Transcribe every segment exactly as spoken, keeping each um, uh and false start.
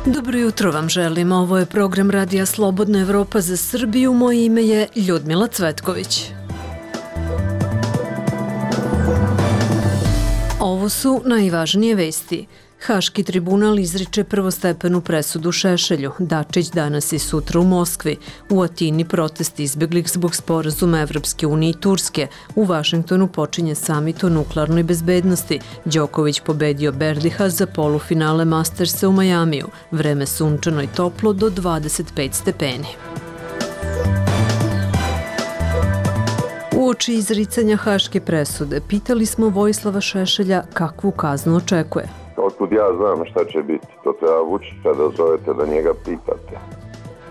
Dobro jutro vam želim. Ovo je program Radija Slobodna Evropa za Srbiju. Moje ime je Ljudmila Cvetković. Ovo su najvažnije vesti. Haški tribunal izriče prvostepenu presudu Šešelju. Dačić danas i sutra u Moskvi. U Atini protesti izbeglih zbog sporazuma Evropske unije i Turske. U Vašingtonu počinje samit o nuklearnoj bezbednosti. Đoković pobedio Berdiha za polufinale Mastersa u Majamiju. Vreme sunčano i toplo do dvadeset pet stepeni. Uoči izricanja haške presude pitali smo Vojislava Šešelja kakvu kaznu očekuje. Otkud ja znam šta će biti, to treba Vučića da zovete da njega pitate.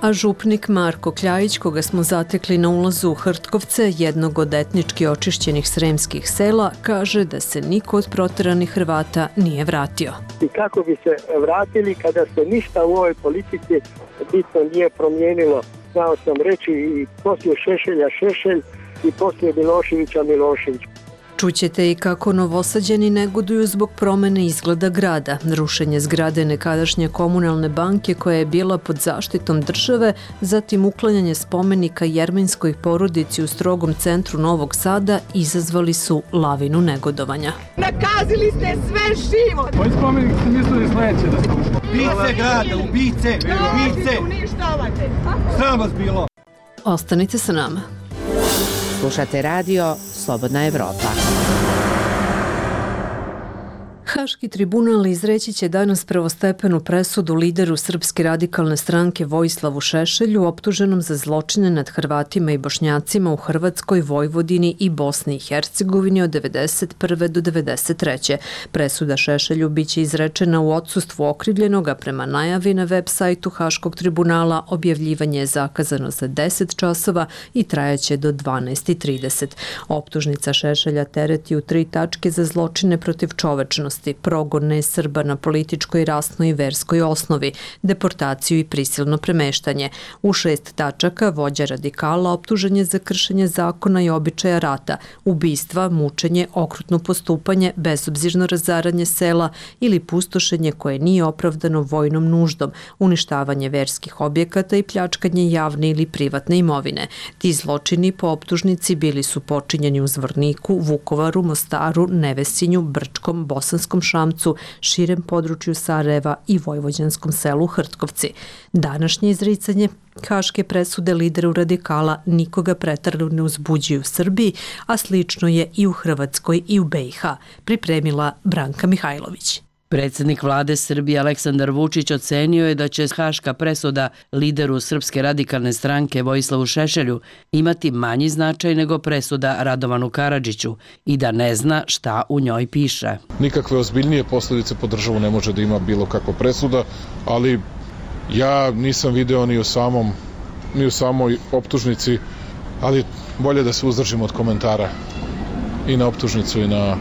A župnik Marko Kljajić, koga smo zatekli na ulazu u Hrtkovce, jednog od etnički očišćenih sremskih sela, kaže da se niko od proteranih Hrvata nije vratio. I kako bi se vratili kada se ništa u ovoj politici bitno nije promijenilo. Znao sam reći i poslije Šešelja Šešelj i poslije Miloševića Milošević. Čućete i kako Novosađani negoduju zbog promene izgleda grada. Rušenje zgrade nekadašnje komunalne banke koja je bila pod zaštitom države, zatim uklanjanje spomenika jermenskoj porodici u strogom centru Novog Sada izazvali su lavinu negodovanja. Nakazili ste sve živo! Koji spomenik ste mislili sledeće da ste ušli? Ubice grada, ubice, ubice! Uništavate! Sram vas bilo! Ostanite sa nama. Slušate radio Slobodna Evropa. Haški tribunal izreći će danas prvostepenu presudu lideru Srpske radikalne stranke Vojislavu Šešelju, optuženom za zločine nad Hrvatima i Bošnjacima u Hrvatskoj, Vojvodini i Bosni i Hercegovini od devedeset prve do devedeset treće Presuda Šešelju biće izrečena u odsustvu okrivljenoga. Prema najavi na web sajtu Haškog tribunala objavljivanje je zakazano za deset časova i trajaće do dvanaest i trideset. Optužnica Šešelja tereti u tri tačke za zločine protiv čovečnosti, progon nesrba na političkoj, rasnoj i verskoj osnovi, deportaciju i prisilno premeštanje. U šest tačaka vođa radikala optužen je za kršenje zakona i običaja rata, ubistva, mučenje, okrutno postupanje, bezobzirno razaranje sela ili pustošenje koje nije opravdano vojnom nuždom, uništavanje verskih objekata i pljačkanje javne ili privatne imovine. Ti zločini po optužnici bili su počinjeni u Zvorniku, Vukovaru, Mostaru, Nevesinju, Brčkom, Bosanskom Šamcu, širem području Sarajeva i vojvođanskom selu Hrtkovci. Današnje izricanje haške presude lideru radikala nikoga preterano ne uzbuđuju u Srbiji, a slično je i u Hrvatskoj i u B i H, pripremila Branka Mihajlović. Predsjednik vlade Srbije Aleksandar Vučić ocenio je da će haška presuda lideru Srpske radikalne stranke Vojislavu Šešelju imati manji značaj nego presuda Radovanu Karadžiću i da ne zna šta u njoj piše. Nikakve ozbiljnije posljedice po državu ne može da ima bilo kakva presuda, ali ja nisam video ni u samom, ni u samoj optužnici, ali bolje da se uzdržimo od komentara i na optužnicu i na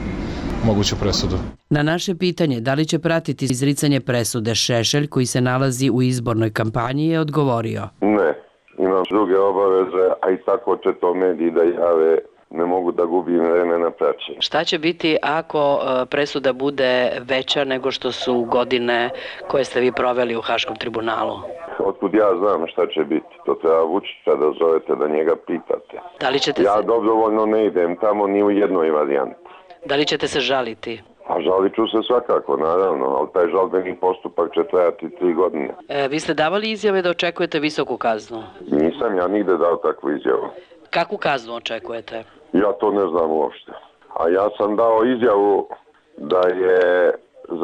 moguću presudu. Na naše pitanje da li će pratiti izricanje presude Šešelj koji se nalazi u izbornoj kampanji je odgovorio. Ne, imam druge obaveze, a i tako će to mediji da jave, ne mogu da gubim vreme na praćenje. Šta će biti ako presuda bude veća nego što su godine koje ste vi proveli u Haškom tribunalu? Otkud ja znam šta će biti, to treba Vučića da zovete da njega pitate. Da li ćete ja se... dobrovoljno ne idem tamo ni u jednoj varijanti. Da li ćete se žaliti? A žalit ću se svakako, naravno, ali taj žalbeni postupak će trajati tri godine. E, vi ste davali izjave da očekujete visoku kaznu? Nisam ja nigde dao takvu izjavu. Kakvu kaznu očekujete? Ja to ne znam uopšte. A ja sam dao izjavu da je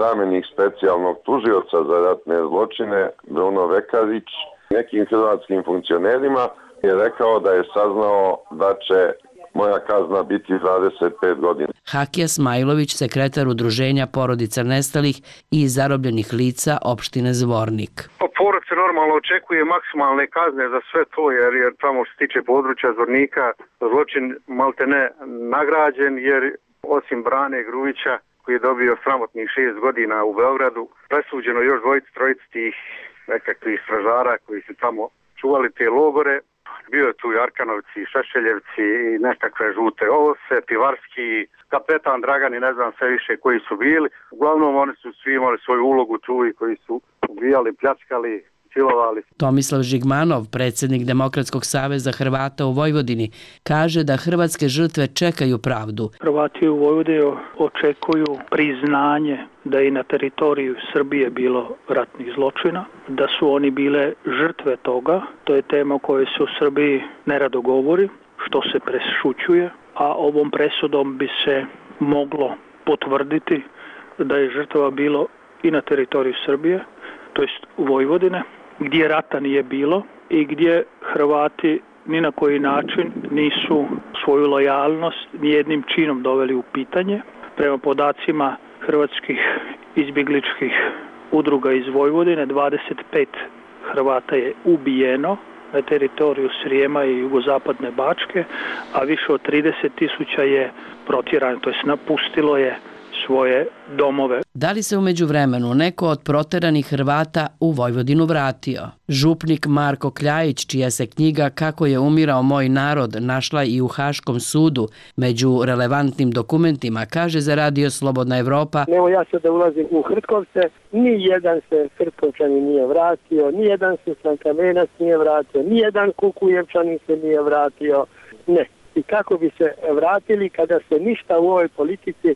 zamjenik specijalnog tužioca za ratne zločine Bruno Vekarić nekim hrvatskim funkcionerima je rekao da je saznao da će moja kazna biti dvadeset pet godina. Hakija Smajlović, sekretar udruženja porodica nestalih i zarobljenih lica opštine Zvornik. Porodica normalno očekuje maksimalne kazne za sve to, jer, jer tamo što se tiče područja Zvornika zločin maltene nagrađen, jer osim Brane Grujića koji je dobio sramotnih šest godina u Beogradu, presuđeno još dvojici, trojici tih nekakvih stražara koji su tamo čuvali te logore. Bio je tu i Arkanovci, i Šešeljevci i nekakve žute ovce, Pivarski, kapetan Dragan i ne znam sve više koji su bili. Uglavnom oni su svi imali svoju ulogu tu i koji su ubijali, pljačkali, silovali. Tomislav Žigmanov, predsjednik Demokratskog saveza Hrvata u Vojvodini, kaže da hrvatske žrtve čekaju pravdu. Hrvati u Vojvodini očekuju priznanje da je na teritoriju Srbije bilo ratnih zločina, da su oni bile žrtve toga. To je tema o kojoj se u Srbiji nerado govori, što se prešućuje, a ovom presudom bi se moglo potvrditi da je žrtava bilo i na teritoriju Srbije, to jest u Vojvodine, gdje rata nije bilo i gdje Hrvati ni na koji način nisu svoju lojalnost nijednim činom doveli u pitanje. Prema podacima hrvatskih izbjegličkih udruga iz Vojvodine, dvadeset pet Hrvata je ubijeno na teritoriju Srijema i jugozapadne Bačke, a više od trideset tisuća je protjerano, to jest napustilo je svoje domove. Da li se u međuvremenu neko od proteranih Hrvata u Vojvodinu vratio? Župnik Marko Kljajić, čija se knjiga Kako je umirao moj narod našla i u Haškom sudu među relevantnim dokumentima, kaže za radio Slobodna Evropa: Evo ja sad da ulazim u Hrtkovce, ni jedan se Hrtkovčanin nije vratio, ni jedan se Slankamenac nije vratio, ni jedan Kukujevčanin se nije vratio, ne. I kako bi se vratili kada se ništa u ovoj politici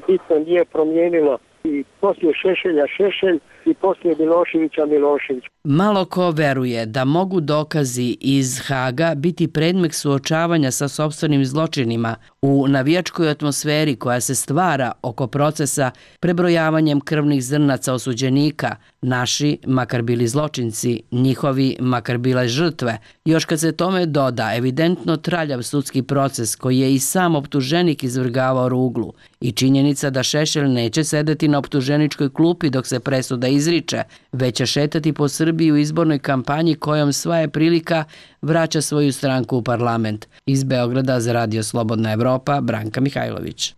bitno nije promijenilo, i poslije Šešelja Šešelj i poslije Miloševića Milošević. Malo ko veruje da mogu dokazi iz Haga biti predmet suočavanja sa sopstvenim zločinima u navijačkoj atmosferi koja se stvara oko procesa prebrojavanjem krvnih zrnaca osuđenika, naši, makar bili zločinci, njihovi, makar bile žrtve. Još kad se tome doda evidentno traljav sudski proces koji je i sam optuženik izvrgavao ruglu i činjenica da Šešelj neće sedeti na optuženičkoj klupi dok se presuda izriče, već će šetati po Srbiji u izbornoj kampanji kojom sva je prilika vraća svoju stranku u parlament. Iz Beograda za radio Slobodna Evropa, Branka Mihajlović.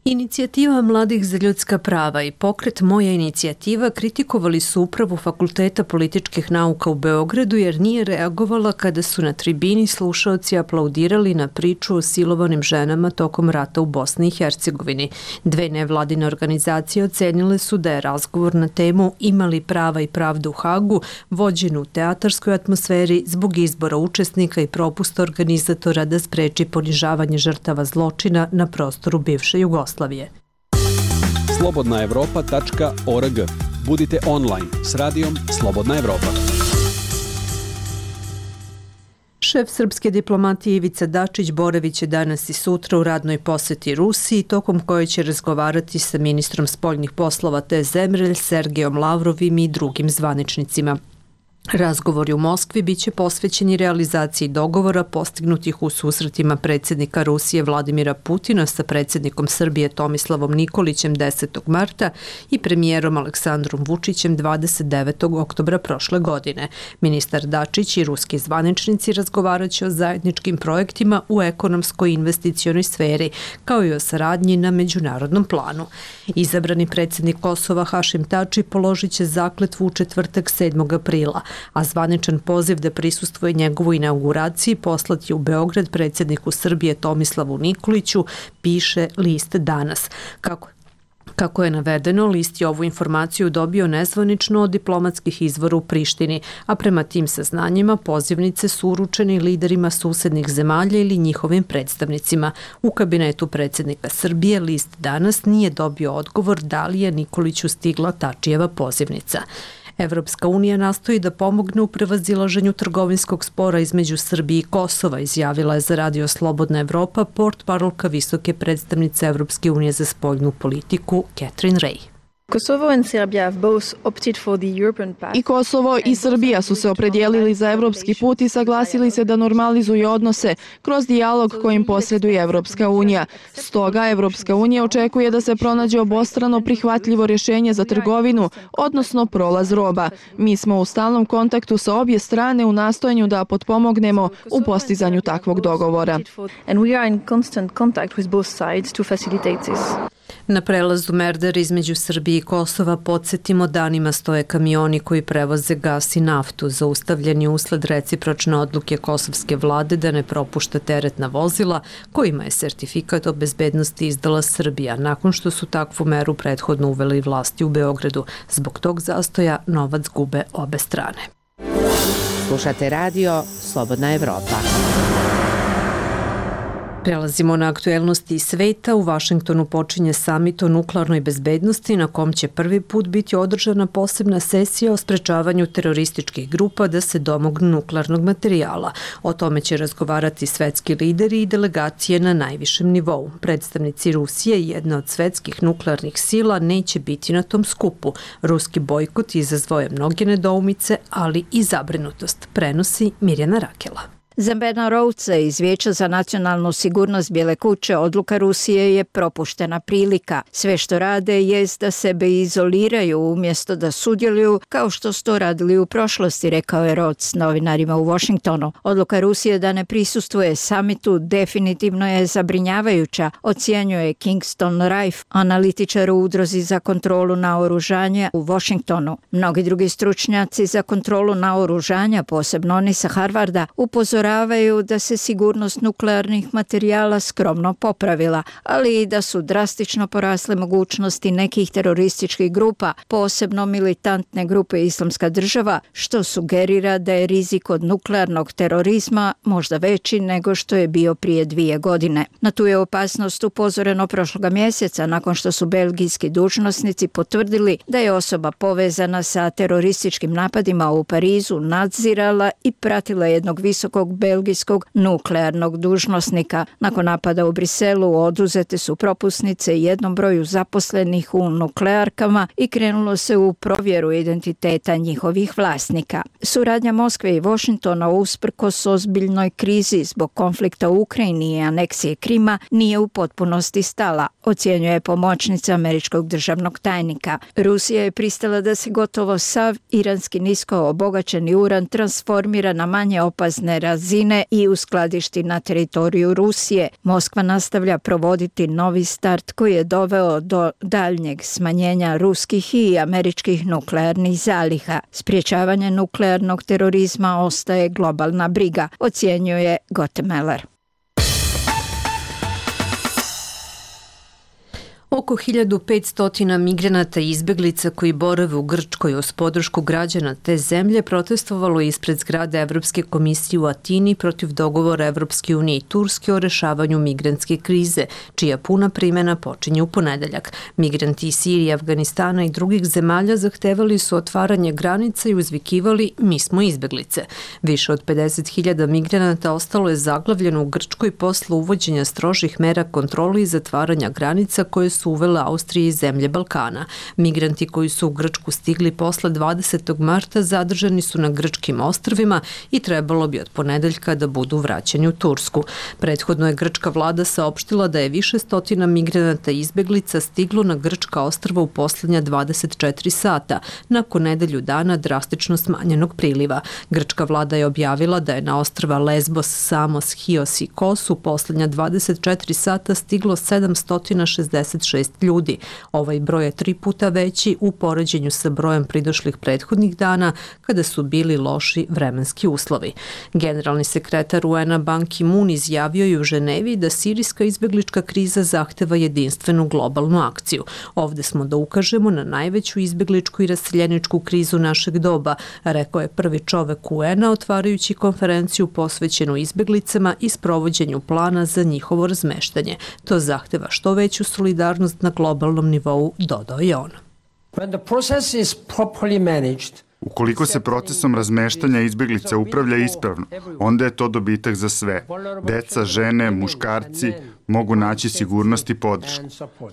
Inicijativa Mladih za ljudska prava i pokret Moja inicijativa kritikovali su upravu Fakulteta političkih nauka u Beogradu jer nije reagovala kada su na tribini slušaoci aplaudirali na priču o silovanim ženama tokom rata u Bosni i Hercegovini. Dve nevladine organizacije ocenile su da je razgovor na temu Imali prava i pravdu u Hagu vođen u teatarskoj atmosferi zbog izbora učesnika i propusta organizatora da spreči ponižavanje žrtava zločina na prostoru bivše Jugoslavije. slobodna evropa tačka org. Budite online s radijom Slobodna Evropa. Šef srpske diplomatije Ivica Dačić boravit će danas i sutra u radnoj poseti Rusiji, tokom koje će razgovarati sa ministrom spoljnih poslova te zemlje Sergejom Lavrovim i drugim zvaničnicima. Razgovori u Moskvi biće posvećeni realizaciji dogovora postignutih u susretima predsjednika Rusije Vladimira Putina sa predsjednikom Srbije Tomislavom Nikolićem desetog marta i premijerom Aleksandrom Vučićem dvadeset devetog oktobra prošle godine. Ministar Dačić i ruski zvaničnici razgovarat će o zajedničkim projektima u ekonomskoj i investicionoj sferi, kao i o saradnji na međunarodnom planu. Izabrani predsjednik Kosova Hašim Tači položit će zakletvu u četvrtak sedmog aprila, a zvaničan poziv da prisustvuje njegovoj inauguraciji poslati u Beograd predsjedniku Srbije Tomislavu Nikoliću, piše list Danas. Kako Kako je navedeno, list je ovu informaciju dobio nezvanično od diplomatskih izvora u Prištini, a prema tim saznanjima pozivnice su uručene liderima susednih zemalja ili njihovim predstavnicima. U kabinetu predsjednika Srbije list Danas nije dobio odgovor da li je Nikoliću stigla Tačijeva pozivnica. Evropska unija nastoji da pomogne u prevazilaženju trgovinskog spora između Srbije i Kosova, izjavila je za radio Slobodna Evropa portparolka visoke predstavnice Evropske unije za spoljnu politiku Catherine Ray. I Kosovo i Srbija su se opredijelili za evropski put i saglasili se da normalizuju odnose kroz dijalog kojim posreduje Evropska unija. Stoga Evropska unija očekuje da se pronađe obostrano prihvatljivo rješenje za trgovinu, odnosno prolaz roba. Mi smo u stalnom kontaktu sa obje strane u nastojanju da potpomognemo u postizanju takvog dogovora. Na prelazu Merdar između Srbije i Kosova, podsjetimo, danima stoje kamioni koji prevoze gas i naftu, zaustavljeni usled recipročne odluke kosovske vlade da ne propušta teretna vozila kojima je sertifikat o bezbednosti izdala Srbija, nakon što su takvu meru prethodno uveli vlasti u Beogradu. Zbog tog zastoja novac gube obe strane. Slušate radio Slobodna Evropa. Prelazimo na aktuelnosti iz sveta. U Vašingtonu počinje samit o nuklearnoj bezbednosti na kom će prvi put biti održana posebna sesija o sprečavanju terorističkih grupa da se domognu nuklearnog materijala. O tome će razgovarati svetski lideri i delegacije na najvišem nivou. Predstavnici Rusije, jedna od svetskih nuklearnih sila, neće biti na tom skupu. Ruski bojkot izazvao je mnoge nedoumice, ali i zabrinutost, prenosi Mirjana Rakela. Za Bena Rhoudsa iz Vijeća za nacionalnu sigurnost Bijele kuće odluka Rusije je propuštena prilika. Sve što rade jest da sebe izoliraju umjesto da sudjeluju kao što su to radili u prošlosti, rekao je Rhodes novinarima u Washingtonu. Odluka Rusije da ne prisustvuje samitu definitivno je zabrinjavajuća, ocjenjuje Kingston Rife, analitičar u udruzi za kontrolu naoružanja u Washingtonu. Mnogi drugi stručnjaci za kontrolu naoružanja, posebno oni sa Harvarda, upozoravaju da se sigurnost nuklearnih materijala skromno popravila, ali i da su drastično porasle mogućnosti nekih terorističkih grupa, posebno militantne grupe Islamska država, što sugerira da je rizik od nuklearnog terorizma možda veći nego što je bio prije dvije godine. Na tu je opasnost upozoreno prošloga mjeseca nakon što su belgijski dužnosnici potvrdili da je osoba povezana sa terorističkim napadima u Parizu nadzirala i pratila jednog visokog belgijskog nuklearnog dužnosnika. Nakon napada u Briselu oduzete su propusnice jednom broju zaposlenih u nuklearkama i krenulo se u provjeru identiteta njihovih vlasnika. Suradnja Moskve i Washingtona usprkos ozbiljnoj krizi zbog konflikta u Ukrajini i aneksije Krima nije u potpunosti stala, ocjenjuje pomoćnica američkog državnog tajnika. Rusija je pristala da se gotovo sav iranski nisko obogaćeni uran transformira na manje opasne razine i uskladišti na teritoriju Rusije. Moskva nastavlja provoditi novi start koji je doveo do daljnjeg smanjenja ruskih i američkih nuklearnih zaliha. Sprječavanje nuklearnog terorizma ostaje globalna briga, ocjenjuje Gottemeller. Oko hiljadu petsto migranata i izbeglica koji borave u Grčkoj uz podršku građana te zemlje protestovalo ispred zgrade Evropske komisije u Atini protiv dogovora Evropske unije i Turske o rešavanju migrantske krize, čija puna primjena počinje u ponedeljak. Migranti iz Sirije, Afganistana i drugih zemalja zahtevali su otvaranje granica i uzvikivali "mi smo izbeglice". Više od pedeset hiljada migranata ostalo je zaglavljeno u Grčkoj posle uvođenja strožih mera kontrole i zatvaranja granica koje su uvele Austrije i zemlje Balkana. Migranti koji su u Grčku stigli posle dvadesetog marta zadržani su na grčkim ostrvima i trebalo bi od ponedeljka da budu vraćeni u Tursku. Prethodno je grčka vlada saopštila da je više stotina migranata i izbeglica stiglo na grčka ostrva u poslednja dvadeset četiri sata, nakon nedelju dana drastično smanjenog priliva. Grčka vlada je objavila da je na ostrva Lesbos, Samos, Hios i Kos u poslednja dvadeset četiri sata stiglo sedamsto šezdeset šest ljudi. Ovaj broj je tri puta veći u poređenju sa brojem pridošlih prethodnih dana kada su bili loši vremenski uslovi. Generalni sekretar U N-a Ban Ki-moon izjavio je u Ženevi da sirijska izbeglička kriza zahteva jedinstvenu globalnu akciju. Ovde smo da ukažemo na najveću izbegličku i raseljeničku krizu našeg doba, rekao je prvi čovek U N-a otvarajući konferenciju posvećenu izbeglicama i sprovođenju plana za njihovo razmeštanje. To zahteva što veću solidarnost na globalnom nivou, dodao je on. Ukoliko se procesom razmeštanja izbeglica upravlja ispravno, onda je to dobitak za sve. Deca, žene, muškarci mogu naći sigurnost i podršku.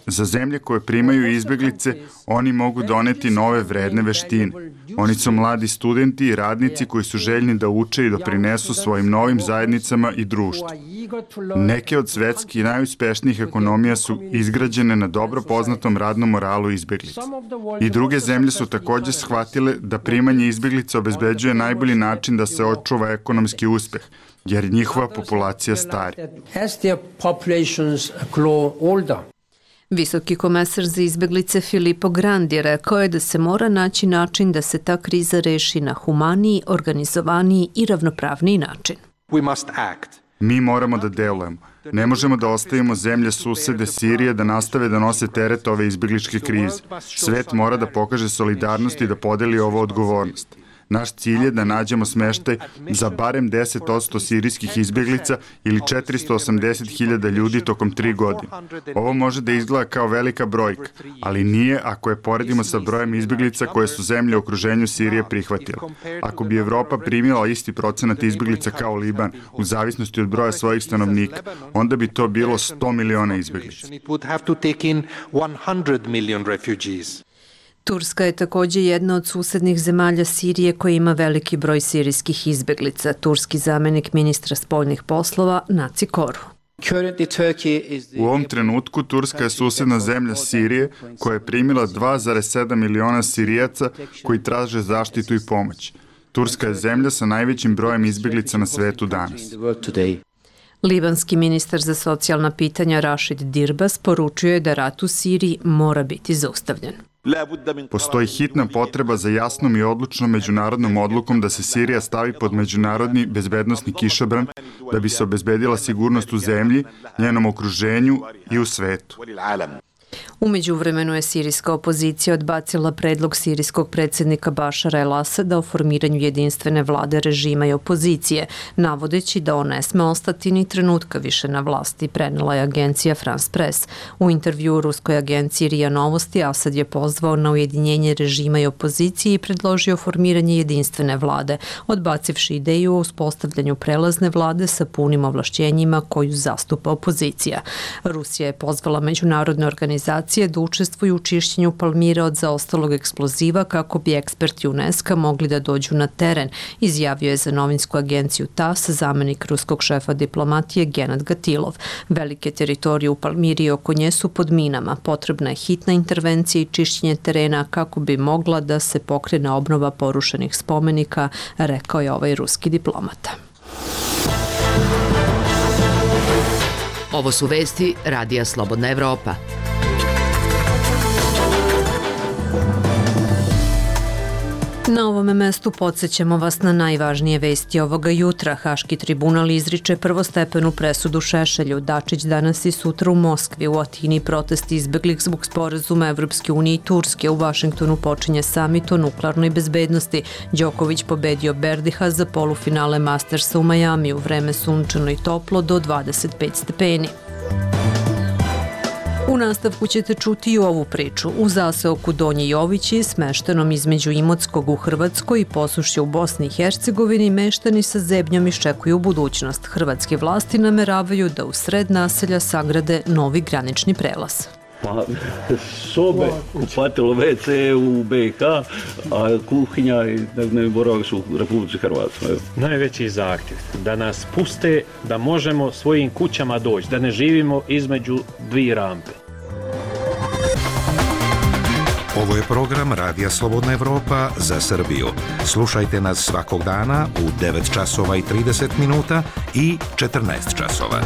Za zemlje koje primaju izbeglice, oni mogu doneti nove vredne veštine. Oni su mladi studenti i radnici koji su željni da uče i doprinesu svojim novim zajednicama i društvu. Neke od svetskih najuspešnijih ekonomija su izgrađene na dobro poznatom radnom moralu izbeglica. I druge zemlje su također shvatile da primanje izbeglica obezbeđuje najbolji način da se očuva ekonomski uspeh, jer njihova populacija stari. Visoki komesar za izbeglice Filippo Grandi rekao je da se mora naći način da se ta kriza reši na humaniji, organizovaniji i ravnopravniji način. Mi moramo da delujemo. Ne možemo da ostavimo zemlje susede Sirije da nastave da nose teret ove izbegličke krize. Svet mora da pokaže solidarnost i da podeli ovu odgovornost. Naš cilj je da nađemo smeštaj za barem deset posto sirijskih izbjeglica ili četiristo osamdeset hiljada ljudi tokom tri godine. Ovo može da izgleda kao velika brojka, ali nije ako je poredimo sa brojem izbjeglica koje su zemlje u okruženju Sirije prihvatile. Ako bi Evropa primila isti procenat izbjeglica kao Liban, u zavisnosti od broja svojih stanovnika, onda bi to bilo sto miliona izbjeglica. Turska je također jedna od susednih zemalja Sirije koja ima veliki broj sirijskih izbeglica. Turski zamenik ministra spoljnih poslova Naci Koru. U ovom trenutku Turska je susedna zemlja Sirije koja je primila dva zarez sedam miliona Sirijaca koji traže zaštitu i pomoć. Turska je zemlja sa najvećim brojem izbeglica na svetu danas. Libanski ministar za socijalna pitanja Rašid Dirbas poručio je da rat u Siriji mora biti zaustavljen. Postoji hitna potreba za jasnom i odlučnom međunarodnom odlukom da se Sirija stavi pod međunarodni bezbednosni kišobran da bi se obezbedila sigurnost u zemlji, njenom okruženju i u svetu. U međuvremenu je sirijska opozicija odbacila predlog sirijskog predsjednika Bašara el-Asada o formiranju jedinstvene vlade režima i opozicije, navodeći da on ne sme ostati ni trenutka više na vlasti, prenela je agencija France Press. U intervju u ruskoj agenciji R I A Novosti Asad je pozvao na ujedinjenje režima i opozicije i predložio formiranje jedinstvene vlade, odbacivši ideju o uspostavljanju prelazne vlade sa punim ovlašćenjima koju zastupa opozicija. Rusija je pozvala međunarodne organizacije da učestvuju u čišćenju Palmira od zaostalog eksploziva kako bi eksperti UNESCO mogli da dođu na teren, izjavio je za novinsku agenciju T A S zamenik ruskog šefa diplomatije Genad Gatilov. Velike teritorije u Palmiri i oko nje su pod minama. Potrebna je hitna intervencija i čišćenje terena kako bi mogla da se pokrene obnova porušenih spomenika, rekao je ovaj ruski diplomata. Ovo su vesti Radija Slobodna Evropa. Na ovome mestu podsjećamo vas na najvažnije vesti ovoga jutra. Haški tribunal izriče prvostepenu presudu Šešelju. Dačić danas i sutra u Moskvi. U Atini protesti izbeglih zbog sporazuma Evropske unije i Turske. U Vašingtonu počinje samit o nuklearnoj bezbednosti. Đoković pobedio Berdiha za polufinale Mastersa u Majamiju. Vreme sunčano i toplo do dvadeset pet stepeni. U nastavku ćete čuti i ovu priču. U zaseoku Donji Jovići, smeštenom između Imotskog u Hrvatskoj i Posušja u Bosni i Hercegovini, meštani sa zebnjom iščekuju budućnost. Hrvatske vlasti nameravaju da u sred naselja sagrade novi granični prelaz. Pa, sobe, kupatilo ve ce u be ha, a kuhinja i dnevni boravak su u Republici Hrvatskoj. Najveći zahtjev da nas puste da možemo svojim kućama doći, da ne živimo između dvije rampe. Ovo je program Radija Slobodna Evropa za Srbiju. Slušajte nas svakog dana u devet časova i trideset minuta i četrnaest časova.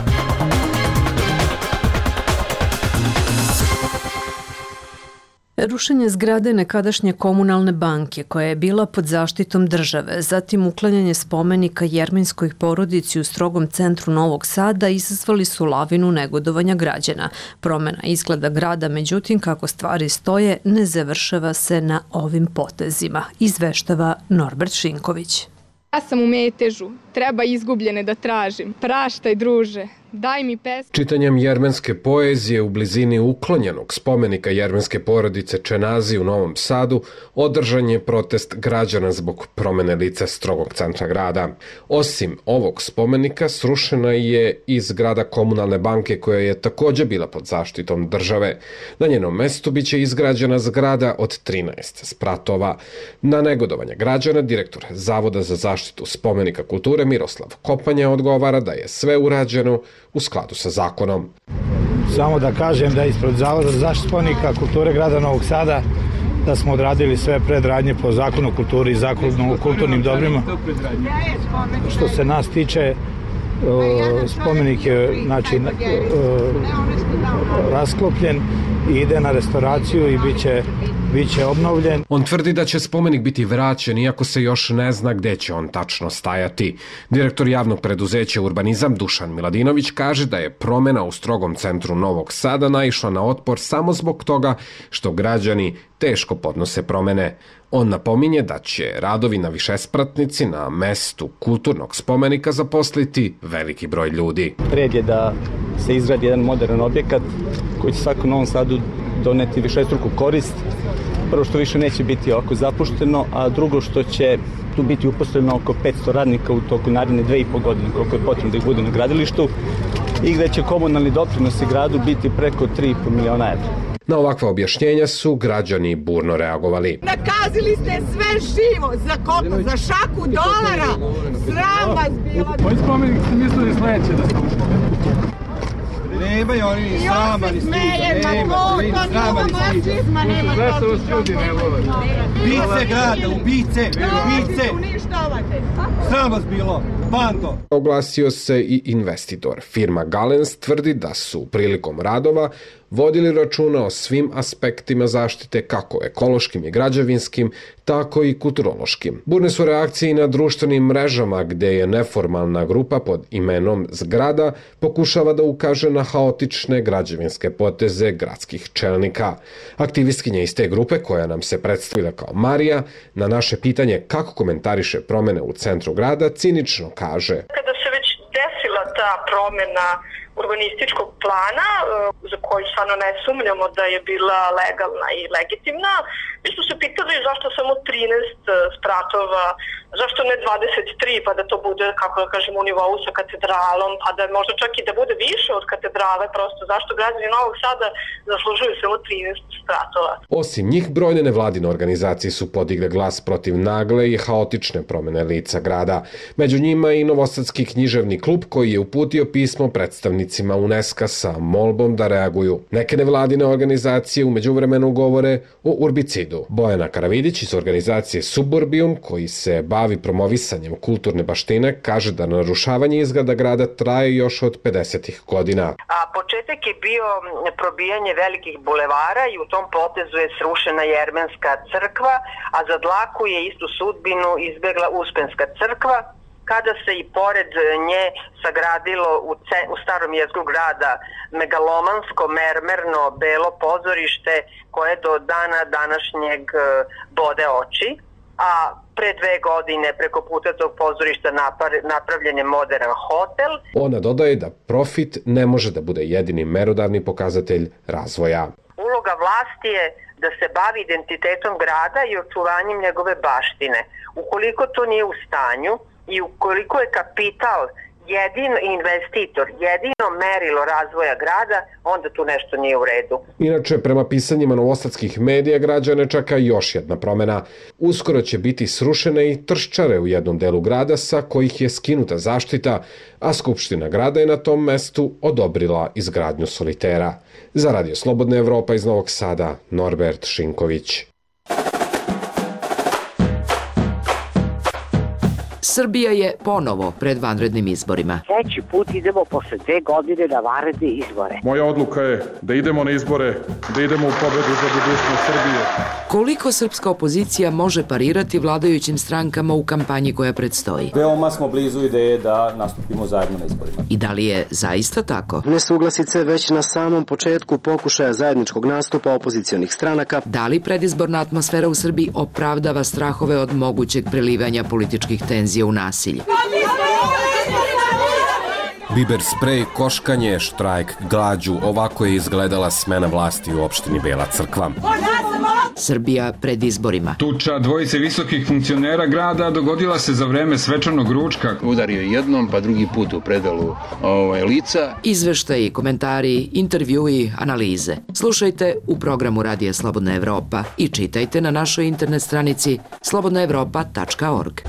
Rušenje zgrade nekadašnje komunalne banke koja je bila pod zaštitom države, zatim uklanjanje spomenika jermenskoj porodici u strogom centru Novog Sada izazvali su lavinu negodovanja građana. Promjena izgleda grada, međutim, kako stvari stoje, ne završava se na ovim potezima, izveštava Norbert Šinković. Ja sam u metežu, treba izgubljene da tražim. Praštaj, druže, daj mi pesmu. Čitanjem jermenske poezije u blizini uklonjenog spomenika jermenske porodice Čenazi u Novom Sadu održan je protest građana zbog promene lica strogog centra grada. Osim ovog spomenika, srušena je i zgrada komunalne banke koja je također bila pod zaštitom države. Na njenom mestu biće izgrađena zgrada od trinaest spratova. Na negodovanje građana direktor Zavoda za zaštitu spomenika kulture Miroslav Kopanja odgovara da je sve urađeno u skladu sa zakonom. Samo da kažem da ispred Zavoda za zaštitu spomenika kulture grada Novog Sada da smo odradili sve predradnje po zakonu o kulturi i zakonu o kulturnim dobrima. Što se nas tiče, spomenik je znači, rasklopljen i ide na restauraciju i bit će, bit će obnovljen. On tvrdi da će spomenik biti vraćen, iako se još ne zna gde će on tačno stajati. Direktor javnog preduzeća Urbanizam Dušan Miladinović kaže da je promena u strogom centru Novog Sada naišla na otpor samo zbog toga što građani teško podnose promene. On napominje da će radovi na višespratnici na mestu kulturnog spomenika zaposliti veliki broj ljudi. Red je da se izgradi jedan modern objekat koji će svakom Novom Sadu doneti višestruku korist. Prvo što više neće biti ovako zapušteno, a drugo što će tu biti uposleno oko petsto radnika u toku naredne dve i po godine, koliko je potrebno da ih bude na gradilištu, i gde će komunalni doprinosi gradu biti preko tri i po miliona evra. Na ovakva objašnjenja su građani burno reagovali. Nakazili ste sve živo, za koliko? Za šaku dolara? Sram vas bilo! Koji spomenik ste mislili sledeće da ste Nemaju oni ni srama, ni stida. Nema, ni srama, ni stida. Zašto vas ljudi ne vole? Ubice grada, ubice, ubice. Sram vas bilo, bando. Oglasio se i investitor. Firma Galens tvrdi da su prilikom radova vodili računa o svim aspektima zaštite, kako ekološkim i građevinskim, tako i kulturološkim. Burne su reakcije i na društvenim mrežama, gde je neformalna grupa pod imenom Zgrada pokušava da ukaže na haotične građevinske poteze gradskih čelnika. Aktivistkinja iz te grupe, koja nam se predstavila kao Marija, na naše pitanje kako komentariše promene u centru grada, cinično kaže: Kada se već desila ta promena urbanističkog plana, za koju stvarno ne sumnjamo da je bila legalna i legitimna, mi smo se pitali zašto samo trinaest spratova, zašto ne dvadeset tri, pa da to bude, kako da kažem, u nivou sa katedralom, pa da možda čak i da bude više od katedrale, prosto zašto građani Novog Sada zaslužuju samo trinaest spratova. Osim njih, brojne nevladine organizacije su podigle glas protiv nagle i haotične promene lica grada. Među njima i Novosadski književni klub, koji je uputio pismo predstavnicima UNESCO sa molbom da reaguju. Neke nevladine organizacije u međuvremenu govore o urbicidu. Bojana Karavidić iz organizacije Suburbijum, koji se bavi promovisanjem kulturne baštine, kaže da narušavanje izgleda grada traje još od pedesetih godina. A početak je bio probijanje velikih bulevara i u tom potezu je srušena Jermenska crkva, a za dlaku je istu sudbinu izbegla Uspenska crkva, kada se i pored nje sagradilo u, ce, u starom jezgru grada megalomansko mermerno belo pozorište koje do dana današnjeg bode oči, a pre dve godine preko puta tog pozorišta napravljen je modern hotel. Ona dodaje da profit ne može da bude jedini merodavni pokazatelj razvoja. Uloga vlasti je da se bavi identitetom grada i očuvanjem njegove baštine. Ukoliko to nije u stanju i ukoliko je kapital jedino investitor, jedino merilo razvoja grada, onda tu nešto nije u redu. Inače, prema pisanjima novosadskih medija, građane čeka još jedna promena. Uskoro će biti srušene i trščare u jednom delu grada sa kojih je skinuta zaštita, a Skupština grada je na tom mestu odobrila izgradnju solitera. Za Radio Slobodna Evropa iz Novog Sada, Norbert Šinković. Srbija je ponovo pred vanrednim izborima. Treći put idemo posle dve godine na vanredne izbore. Moja odluka je da idemo na izbore, da idemo u pobedu za budućnost Srbije. Koliko srpska opozicija može parirati vladajućim strankama u kampanji koja predstoji? Veoma smo blizu ideje da nastupimo zajedno na izborima. I da li je zaista tako? Nesuglasice već na samom početku pokušaja zajedničkog nastupa opozicionih stranaka. Da li predizborna atmosfera u Srbiji opravdava strahove od mogućeg prelivanja političkih tenzija u nasilje? Biber sprej, koškanje, štrajk, glađu, ovako je izgledala smena vlasti u opštini Bela Crkva. Srbija pred izborima. Tuča dvojice visokih funkcionera grada dogodila se za vreme svečanog ručka. Udario jednom, pa drugi put u predalu ovaj, lica. Izveštaji, komentari, intervjui, analize. Slušajte u programu Radija Slobodna Evropa i čitajte na našoj internet stranici slobodna evropa tačka org.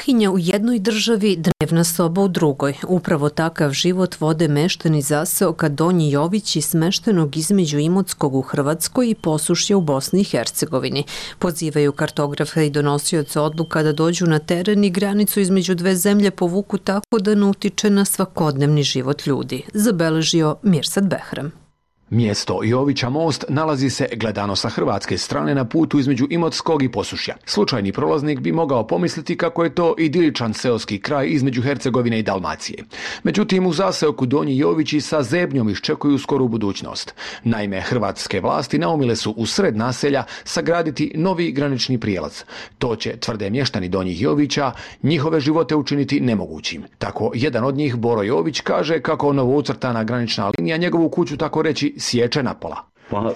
Kuhinja u jednoj državi, dnevna soba u drugoj. Upravo takav život vode meštani zaseoka Donji Jovići smeštenog između Imotskog u Hrvatskoj i Posušja u Bosni i Hercegovini. Pozivaju kartografe i donosioce odluka da dođu na teren i granicu između dve zemlje povuku tako da ne utiče na svakodnevni život ljudi, zabeležio Mirsad Behram. Mjesto Jovića most nalazi se, gledano sa hrvatske strane, na putu između Imotskog i Posušja. Slučajni prolaznik bi mogao pomisliti kako je to idiličan seoski kraj između Hercegovine i Dalmacije. Međutim, u zaseoku Donji Jovići sa zebnjom iščekuju skoru budućnost. Naime, hrvatske vlasti naumile su u sred naselja sagraditi novi granični prijelaz. To će, tvrde mještani Donjih Jovića, njihove živote učiniti nemogućim. Tako, jedan od njih, Boro Jović, kaže kako novoucrtana granična linija njegovu kuću, tako reći, sječe napola. Pa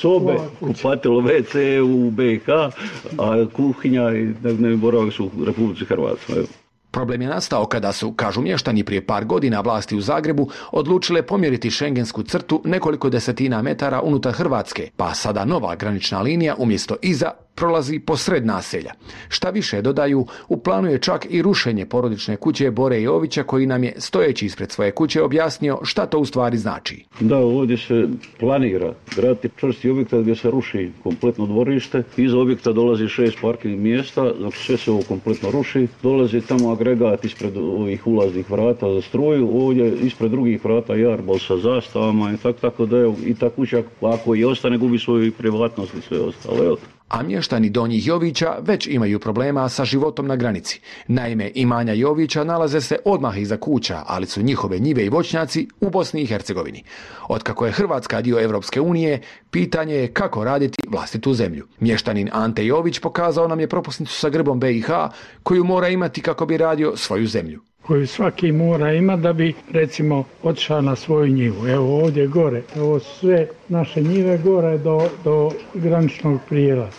sobe, kupatilo, ve ce u be i ha, a kuhinja i dnevni boravak su u Republici Hrvatskoj. Problem je nastao kada su, kažu mještani, prije par godina vlasti u Zagrebu odlučile pomjeriti šengensku crtu nekoliko desetina metara unutar Hrvatske, pa sada nova granična linija umjesto iza prolazi posred naselja. Šta više, dodaju, u planu je čak i rušenje porodične kuće Bore Jovića, koji nam je, stojeći ispred svoje kuće, objasnio šta to u stvari znači. Da, ovdje se planira graditi čvrsti objekta gdje se ruši kompletno dvorište. Iza objekta dolazi šest parking mjesta, dok sve se ovo kompletno ruši. Dolazi tamo agregat ispred ovih ulaznih vrata za struju, ovdje ispred drugih vrata jarbol sa zastavama i tako, tako da je i ta kuća, ako i ostane, gubi svoju privatnost i sve ostalo. A mještani Donjih Jovića već imaju problema sa životom na granici. Naime, imanja Jovića nalaze se odmah iza kuća, ali su njihove njive i voćnjaci u Bosni i Hercegovini. Otkako je Hrvatska dio Evropske unije, pitanje je kako raditi vlastitu zemlju. Mještanin Ante Jović pokazao nam je propusnicu sa grbom be i ha koju mora imati kako bi radio svoju zemlju. Koju svaki mora ima da bi, recimo, otišao na svoju njivu. Evo ovdje gore, ovo sve naše njive gore do, do graničnog prijelaza.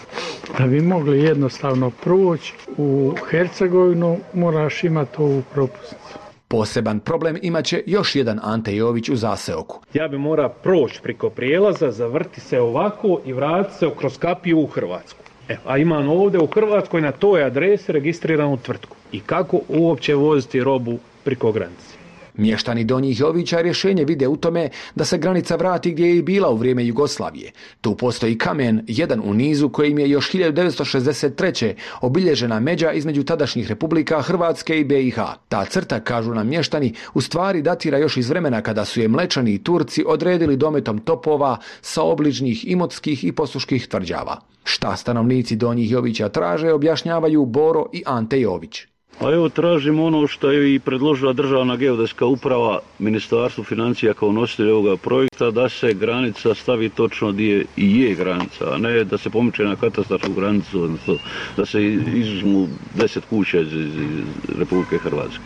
Da bi mogli jednostavno proći u Hercegovinu, moraš imati ovu propusnicu. Poseban problem imaće još jedan Ante Jović u zaseoku. Ja bi mora proći preko prijelaza, zavrti se ovako i vratiti se kroz kapiju u Hrvatsku. Evo, a imam ovdje u Hrvatskoj na toj adresi registriranu tvrtku. I kako uopće voziti robu preko granice? Mještani Donjih Jovića rješenje vide u tome da se granica vrati gdje je i bila u vrijeme Jugoslavije. Tu postoji kamen, jedan u nizu, kojim je još hiljadu devetsto šezdeset treće obilježena međa između tadašnjih republika Hrvatske i be i ha. Ta crta, kažu nam mještani, u stvari datira još iz vremena kada su je Mlečani i Turci odredili dometom topova sa obližnjih imotskih i posuških tvrđava. Šta stanovnici Donjih Jovića traže, objašnjavaju Boro i Ante Jović. A evo, tražimo ono što je i predložila Državna geodetska uprava, Ministarstvo financija kao nositelj ovoga projekta, da se granica stavi točno gdje i je granica, a ne da se pomiče na katastarsku granicu, odnosno da se izuzmu deset kuća iz, iz Republike Hrvatske.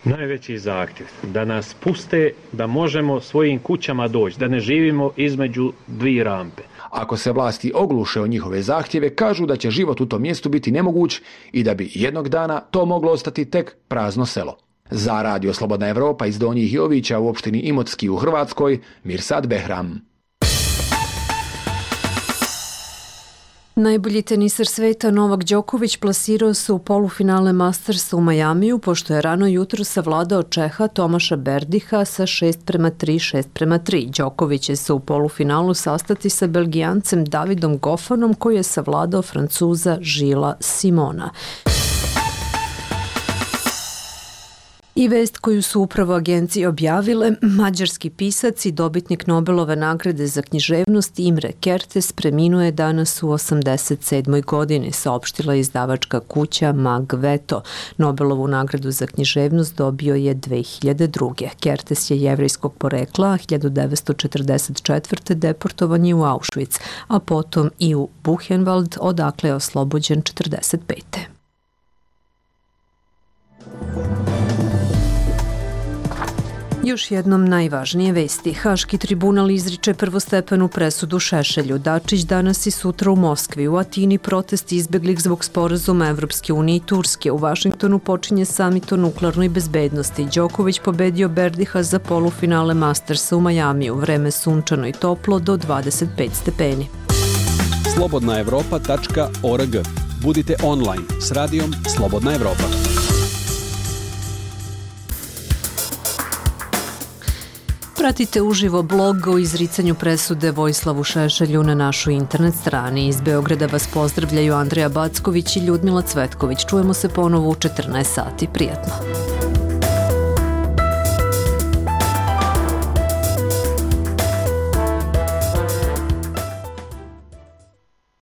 Najveći zahtjev da nas puste da možemo svojim kućama doći, da ne živimo između dvije rampe. Ako se vlasti ogluše o njihove zahtjeve, kažu da će život u tom mjestu biti nemoguć i da bi jednog dana to moglo ostati tek prazno selo. Za Radio Slobodna Evropa iz Donjih Jovića u opštini Imotski u Hrvatskoj, Mirsad Behram. Najbolji tenisar sveta Novak Đoković plasirao se u polufinale Mastersa u Majamiju, pošto je rano jutro savladao Čeha Tomaša Berdiha sa šest prema tri, šest prema tri. Đoković će se u polufinalu sastati sa Belgijancem Davidom Goffanom, koji je savladao Francuza Žila Simona. I vest koju su upravo agencije objavile, mađarski pisac i dobitnik Nobelove nagrade za književnost Imre Kertész preminuo je danas u osamdeset sedmoj godini, saopštila izdavačka kuća Magveto. Nobelovu nagradu za književnost dobio je dve hiljade druge. Kertész je jevrejskog porekla, a hiljadu devetsto četrdeset četvrte deportovan je u Auschwitz, a potom i u Buchenwald, odakle je oslobođen četrdeset pete. Još jednom najvažnije vesti. Haški tribunal izriče prvostepenu presudu Šešelju. Dačić danas i sutra u Moskvi. U Atini protesti izbeglih zbog sporazuma Evropske unije i Turske. U Vašingtonu počinje samit o nuklearnoj bezbednosti. Đoković pobedio Berdiha za polufinale Mastersa u Majamiju. Vreme sunčano i toplo do dvadeset pet stepeni. slobodna evropa tačka org. Budite online s radijom Slobodna Evropa. Pratite uživo blog o izricanju presude Vojislavu Šešelju na našoj internet strani. Iz Beograda vas pozdravljaju Andreja Backović i Ljudmila Cvetković. Čujemo se ponovo u četrnaest sati. Prijatno.